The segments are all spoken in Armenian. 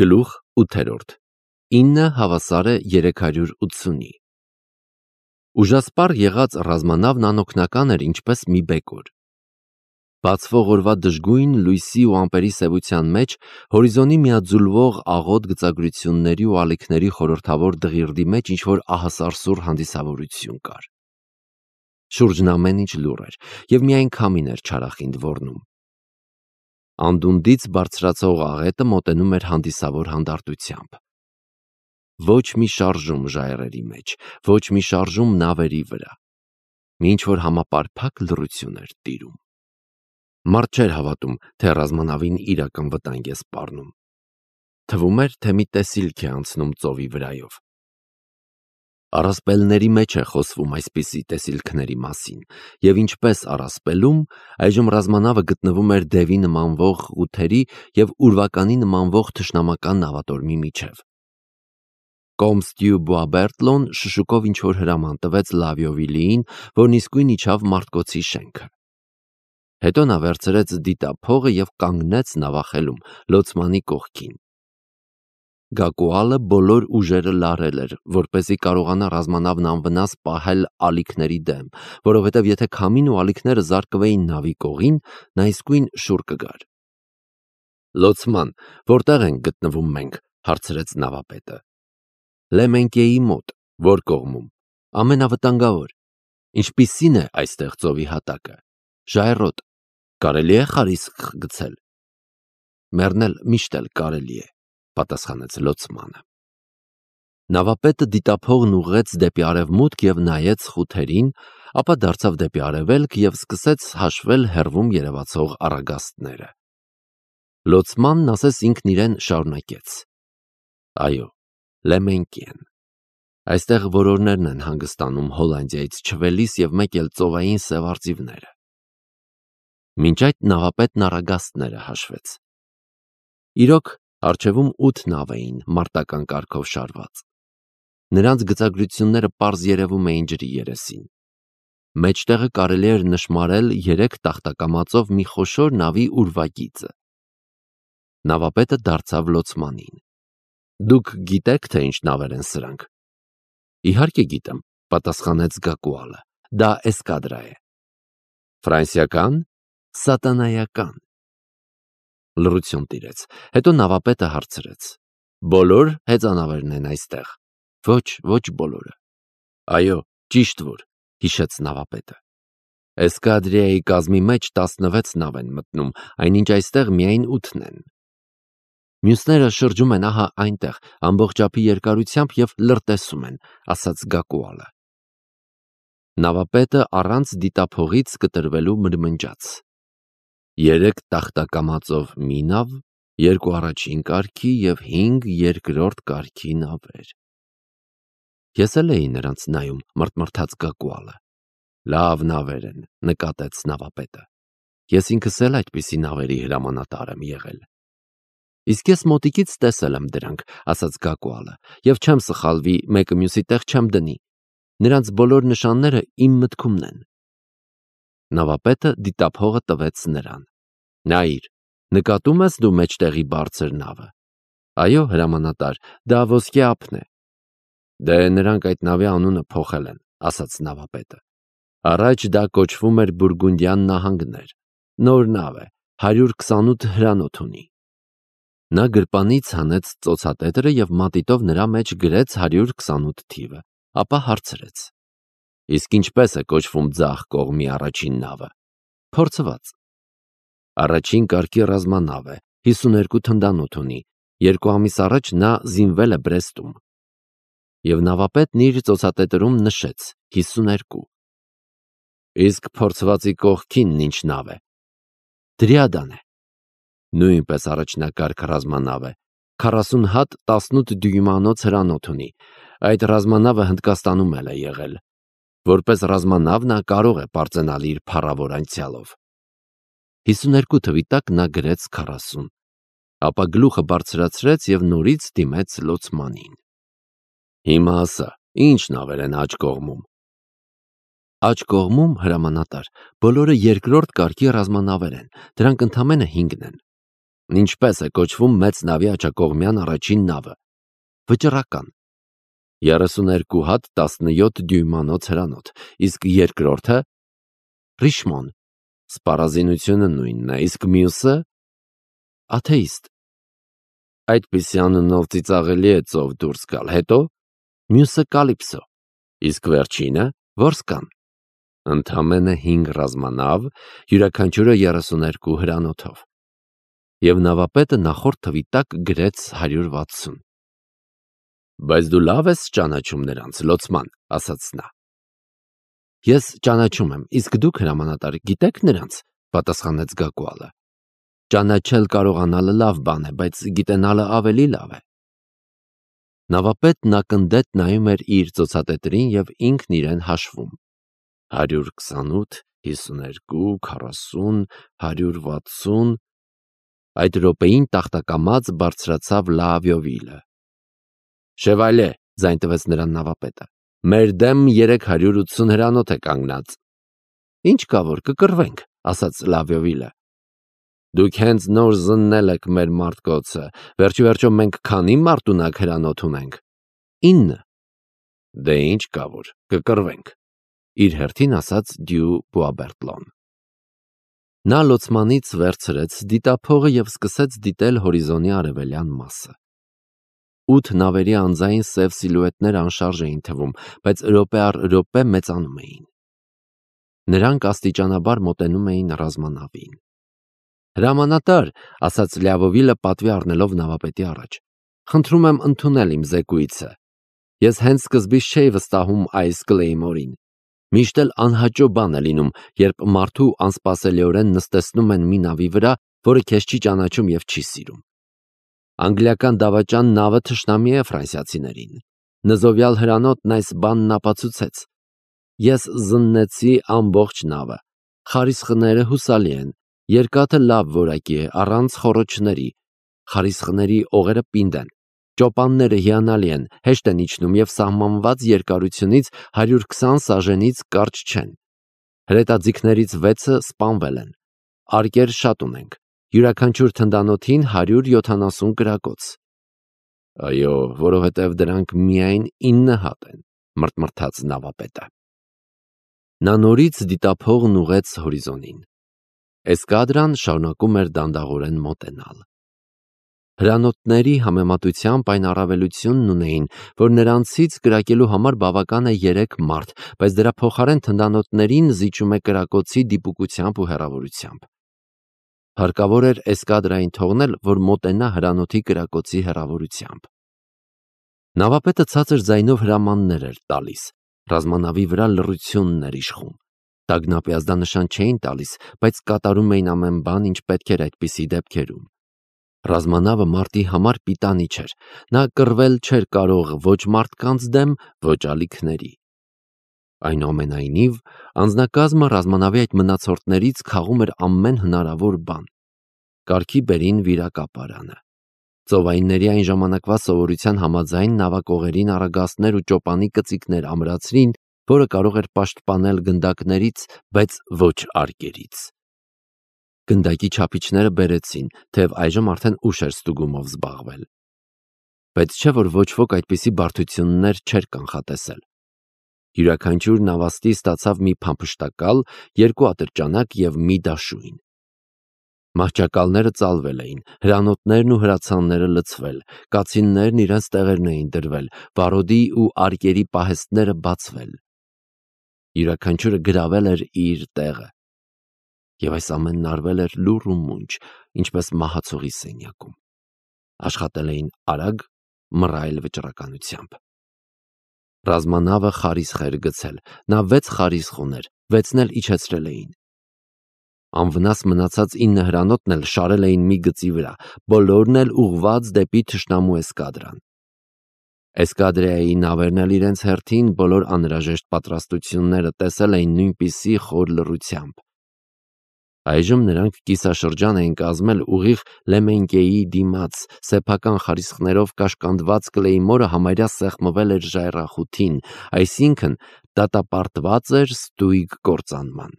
Գլուխ 8-րդ 9 հավասար է 380-ի։ Ուժասպառ եղած ռազմանավն անօգնական էր ինչպես մի բեկոր։ Բացվող օրվա դժգույն լույսի ու ամպերի սևության մեջ հորիզոնի միաձուլվող աղոտ գծագրությունների ու ալիքների խորհրդավոր դղիրդի մեջ ինչ-որ ահասարսուռ հանդիսավորություն կար։ Շուրջն ամեն ինչ լուռ էր և միայն քամին էր չարախինդ ոռնում։ Անդունդից բարձրացող աղետը մոտենում էր հանդիսավոր հանդարտությամբ։ Ոչ մի շարժում ժայռերի մեջ, ոչ մի շարժում նավերի վրա։ Մի ինչ-որ համապարփակ լռություն էր տիրում։ Մարդ չէր հավատում, թե ռազմանավին իրական վտանգ է սպառնում։ Թվում էր, թե մի տեսիլք է անցնում ծովի վրայով։ Առասպելների մեջ է խոսվում այսպիսի տեսիլքների մասին, և ինչպես առասպելում, այժմ ռազմանավը գտնվում էր դևի նմանվող ղութերի և ուրվականի նմանվող թշնամական նավատորմի միջև։ Կոմստյու Բուաբերտլոն շշուկով ինչ-որ հրաման տվեց Լավիովիլիին, որն իսկույն իջավ մարտկոցի շենքը։ Հետո նա վերցրեց դիտափողը և կանգնեց նավախելում, լոցմանի կողքին։ Գակուալը բոլոր ուժերը լարել էր, որպեսզի կարողանա ռազմանավն անվնաս պահել ալիքների դեմ, որովհետև եթե քամին ու ալիքները զարկվեին նավի կողին, նա իսկույն շուռ կգար։ Լոցման, որտեղ ենք գտնվում մենք, հարցրեց նավապետը։ Լեմենկեի մոտ, որ կողմում, ամենավտանգավոր։ Ինչպիսին է այստեղ ծովի հատակը։ Ժայռոտ, կարելի է խարիսկ գցել։ Մեռնել միշտ էլ կարելի է, պատասխանեց լոցմանը։ Նավապետը դիտափողն ուղղեց դեպի արևմուտք և նայեց խութերին, ապա դարձավ դեպի արևելք և սկսեց հաշվել հեռվում երևացող առագաստները։ Լոցմանն ասես ինքն իրեն շարունակեց. Այո, Լեմենկեն։ Այստեղ որորներն են հանգստանում Հոլանդիայից չվելիս և մեկ էլ ծովային սև արծիվները։ Մինչ այդ նավապետն առագաստները հաշվեց։ Իրոք, առջևում 8 նավ էին մարտական կարգով շարված։ Նրանց գծագրությունները պարզ երևում էին ջրի երեսին։ Մեջտեղը կարելի էր նշմարել 3 տախտակամածով մի խոշոր նավի ուրվագիծը։ Նավապետը դարձավ լոցմանին։ Դուք գիտեք, թե ինչ նավեր են սրանք։ Իհարկե գիտեմ, պատասխանեց Գակուալը։ Դա էսկադրա է։ Ֆրանսիական, սատանայական։ Լռություն տիրեց։ Հետո նավապետը հարցրեց. Բոլոր հեծանավերն են այստեղ։ Ոչ բոլորը։ Այո, ճիշտ որ, հիշեց նավապետը։ Էսկադրիայի կազմի մեջ 16 նավ են մտնում, այնինչ այստեղ միայն 8-ն են։ Մյուսները շրջում են ահա այնտեղ, ամբողջապի երկարությամբ և լրտեսում են, ասաց Գակուալը։ Նավապետը առանց դիտափողից կտրվելու մրմնջաց։ 3 տախտակամածով մի նավ, 2 առաջին կարգի և 5 երկրորդ կարգի նավեր։ Ես էլ էի նրանց նայում, մռթմռթաց Գակուալը։ Լավ նավեր են, նկատեց նավապետը։ Ես ինքս էլ այդպիսի նավերի հրամանատար եմ եղել։ Իսկ ես մոտիկից տեսել եմ դրանք, ասաց Գակուալը, և չեմ սխալվի, մեկը մյուսի տեղ չեմ դնի։ Նրանց բոլոր նշանները իմ մտքումն են։ Նավապետը դիտափողը տվեց նրան։ Նայիր, նկատում ես դու մեջտեղի բարձր նավը։ Այո, հրամանատար, դա ոսկե ափն է։ Դե նրանք այդ նավի անունը փոխել են, ասաց նավապետը։ Առաջ դա կոչվում էր Բուրգունդյան նահանգներ։ Նոր նավ է, 128 հրանոթ ունի։ Նա գրպանից հանեց ծոցատետրը և մատիտով նրա մեջ գրեց 128 թիվը, ապա հարցրեց. Իսկ ինչպես է կոչվում ձախ կողմի առաջին նավը։ Փորձված։ Առաջին կարգի ռազմանավ է, 52 թնդանոթ ունի, 2 ամիս առաջ նա զինվել է Բրեստում։ Եվ նավապետն իր ծոցատետրում նշեց 52։ Իսկ փորձվածի կողքինն ինչ նավ է։ Դրիադան է։ Նույնպես առաջնակարգ ռազմանավ է, 40 հատ 18 դյույմանոց հրանոթ ունի, այդ ռազմանավը Հնդկաստանում էլ է եղել, որպես ռազմանավ նա կարող է պարծենալ իր փառավոր անցյալով։ 52 թվի տակ նա գրեց 40, ապա գլուխը բարձրացրեց և նորից դիմեց լոցմանին։ Հիմա ասա, ինչ նավեր են աջ կողմում։ Աջ կողմում, հրամանատար, բոլորը երկրորդ կարգի ռազմանավեր են, դրանք ընդամենը 5-ն են։ Ինչպես է կոչվում մեծ նավի աջակողմյան առաջին նավը։ Վճռական։ 32 հատ 17 դյույմանոց հրանոթ, իսկ երկրորդը Ռիշմոն։ Սպառազինությունը նույնն է, իսկ մյուսը աթեիստ։ Այդպիսի անունով ծիծաղելի է ծով դուրս գալ, հետո մյուսը Կալիպսո, իսկ վերջինը Որսկան։ Ընդամենը 5 ռազմանավ, յուրաքանչյուրը 32 հրանոթով։ Եվ նավապետը նախորդ թվի տակ գրեց 160։ Բայց դու լավ ես ճանաչում նրանց, լոցման, ասաց նա։ Ես ճանաչում եմ, իսկ դուք հրամանատար գիտեք նրանց, պատասխանեց Գակուալը։ Ճանաչել կարողանալը լավ բան է, բայց գիտենալը ավելի լավ է։ Նավապետն ակնդետ նայում էր իր ծոցատետրին և ինքն իրեն հաշվում։ 128, 52, 40, 160… Այդ րոպեին տախտակամած բարձրացավ Լավիովիլը։ Շևալե, ձայն տվեց նրան նավապետը, մեր դեմ 380 հրանոթ է կանգնած։ Ինչ կա որ կկռվենք, ասաց Լավիովիլը։ Դուք հենց նոր զննել եք մեր մարդկոցը, վերջիվերջո մենք քանի մարտունակ հրանոթ ունենք։ 9։ Դե ինչ կա որ կկռվենք, իր հերթին ասաց Դյու Բուաբերտլոն։ Նա լոցմանից վերցրեց դիտափողը և սկսեց դիտել հորիզոնի արևելյան մասը։ 8 նավերի անձային սև սիլուետներ անշարժ էին թվում, բայց րոպե առ րոպե մեծանում էին։ Նրանք աստիճանաբար մոտենում էին ռազմանավին։ Հրամանատար, ասաց Լյավովիլը պատվի առնելով նավապետի առաջ, խնդրում եմ ընդունել իմ զեկույցը։ Ես հենց սկզբից չէի վստահում այս Կլեյմորին։ Միշտ էլ անհաճո բան է լինում, երբ մարդու անսպասելիորեն նստեցնում են մի նավի վրա, որը քեզ չի ճանաչում և չի սիրում։ Անգլիական դավաճան նավը թշնամի է ֆրանսիացիներին։ Նզովյալ հրանոթն այս բանն ապացուցեց։ Ես զննեցի ամբողջ նավը։ Խարիսխները հուսալի են, երկաթը լավ որակի է, առանց խոռոչների, խարիսխների օղերը պինդ են, ճոպանները հիանալի են, հեշտ են իջնում և սահմանված երկարությունից 120 սաժենից կարճ չեն։ Հրետաձիգներից 6-ը սպանվել են։ Արկեր շատ ունենք։ Յուրաքանչյուր թնդանոթին 170 կրակոց։ Այո, որովհետև դրանք միայն 9 հատ են, մրթմրթաց նավապետը։ Նա նորից դիտափողն ուղղեց հորիզոնին։ Էսկադրան շարունակում էր դանդաղորեն մոտենալ։ Հրանոթների համեմատությամբ այն առավելությունն ունեին, որ նրանցից կրակելու համար բավական է 3 մարդ, բայց դրա փոխարեն թնդանոթներին զիջում է կրակոցի դիպուկությամբ ու հեռավորությամբ։ Հարկավոր էր էսկադրային թողնել, որ մոտենա հրանոթի կրակոցի հեռավորությամբ։ Նավապետը ցածր ձայնով հրամաններ էր տալիս, ռազմանավի վրա լռությունն էր իշխում։ Տագնապի ազդանշան չէին տալիս, բայց կատարում էին ամեն բան, ինչ պետք էր այդպիսի դեպքերում։ Ռազմանավը մարտի համար պիտանի չէր, նա կռվել չէր կարող ոչ մարդկանց դեմ, ոչ ալիքների։ Այնուամենայնիվ, անձնակազմը ռազմանավի այդ մնացորդներից քաղում էր ամեն հնարավոր բան։ Կարգի բերին վիրակապարանը։ Ծովայինների այն ժամանակվա սովորության համաձայն նավակողերին առագաստներ ու ճոպանի կծիկներ ամրացրին, որը կարող էր պաշտպանել գնդակներից, բայց ոչ արկերից։ Գնդակի չափիչները բերեցին, թեև այժմ արդեն ուշ էր ստուգումով զբաղվել։ Բայց չէ որ ոչ ոք այդպիսի բարդություններ չէր կանխատեսել։ Յուրաքանչյուր նավաստի ստացավ մի փամփշտակալ, 2 ատրճանակ և մի դաշույն։ Մահճակալները ծալվել էին, հրանոթներն ու հրացանները լցվել, կացիններն իրենց տեղերն էին դրվել, վարոդի ու արկերի պահեստները բացվել։ Յուրաքանչյուրը գրավել էր իր տեղը։ Եվ այս ամենն արվել էր լուռ ու մունջ, ինչպես մահացողի սենյակում։ Աշխատել էին արագ, մռայլ վճռականությամբ։ Ռազմանավը խարիսխ էր գցել, նա 6 խարիսխ ուներ, 6-ն էլ իջեցրել էին։ Անվնաս մնացած 9 հրանոթն էլ շարել էին մի գծի վրա, բոլորն էլ ուղղված դեպի թշնամու էսկադրան։ Էսկադրայի նավերն էլ իրենց հերթին բոլոր անհրաժեշտ պատրաստությունները տեսել էին նույնպիսի խոր լռությամբ։ Այժմ նրանք կիսաշրջան էին կազմել ուղիղ Լեմենկեի դիմաց, սեփական խարիսխներով կաշկանդված Կլեյմորը համարյա սեղմվել էր ժայռախութին, այսինքն դատապարտված էր ստույգ կործանման։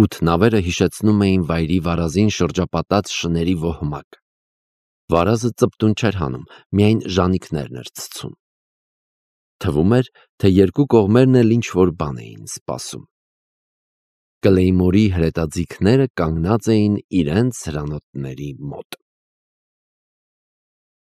8 նավերը հիշեցնում էին վայրի վարազին շրջապատած շների ոհմակ։ Վարազը ծպտուն չէր հանում, միայն ժանիքներն էր ցցում։ Թվում էր, թե երկու կողմերն էլ ինչ-որ բան էին սպասում։ Կլեյմորի հրետաձիգները կանգնած էին իրենց հրանոթների մոտ։